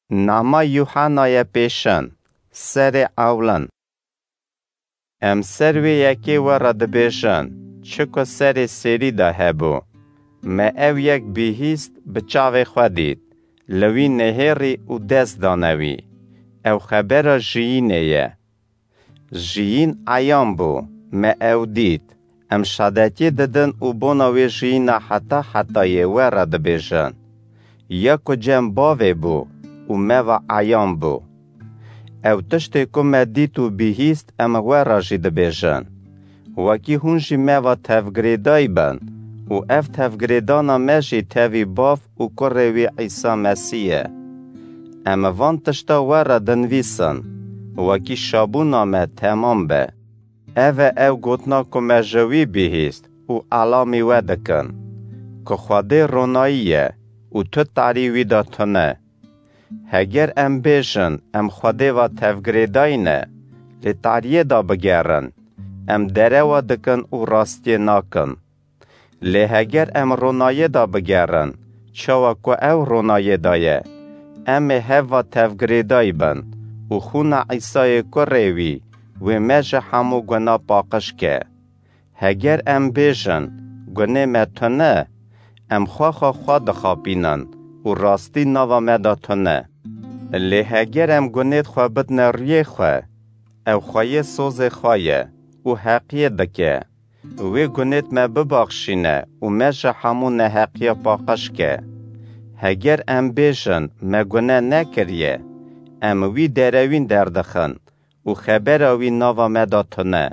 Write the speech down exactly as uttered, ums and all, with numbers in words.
Nama Yuhanaye pêşin, serê ewlin. Em ser wê yekê we re dibêjin, çi ku serê sêrî de hebû. Me ew yek bihîst, bi çavê xwe dît, li wî nehêrî û dest dane wî. Ew xebera jiyînê ye. Jiyîn eyan bû, me ew dît. Em şadetiyê didin û bona wê jiyîna heta hetayê we re dibêjin. Ya ku cem bavê bû û me ve eyan bû. Ew tiştê ku me dît û bihîst, em we re jî dibêjin. Wekî hûn jî me ve tevgirêdayî bin û ev tevgirêdana me jî tevî Bav û Kurê wî Îsa Mesîh ye. Em van tişta we re dinivîsin, wekî şabûna me temam be. Ev e ew gotina ku me ji wî bihîst û elamî we dikin, ku Xwedê ronayî ye û tu tarî wî de tune. Heger em bêjin, em Xwedê ve tevgirêdayî ne, lê tariyê de bigerin, em derewa dikin û rastiyê nakin. Lê heger em ronayê de bigerin, çawa ku ew ronayê de ye, em ê hev ve tevgirêdayî bin û xûna Îsayê Kurê wî, wê me ji hemû guna paqij ke. Heger em bêjin, gunê me tune, em xwe xwe xwe dixapînin û rastî nava me de tune. Lê heger em gunêt xwe bidine rûyê xwe, ew xweyê sozê xwe ye û heqiyê dike. Wê gunêt me bibaxşîne û me ji hemû neheqiya paqij ke. Heger em bêjin, me gune nekiriye, em wî derewîn derdixin û xebera wî nava me de tune.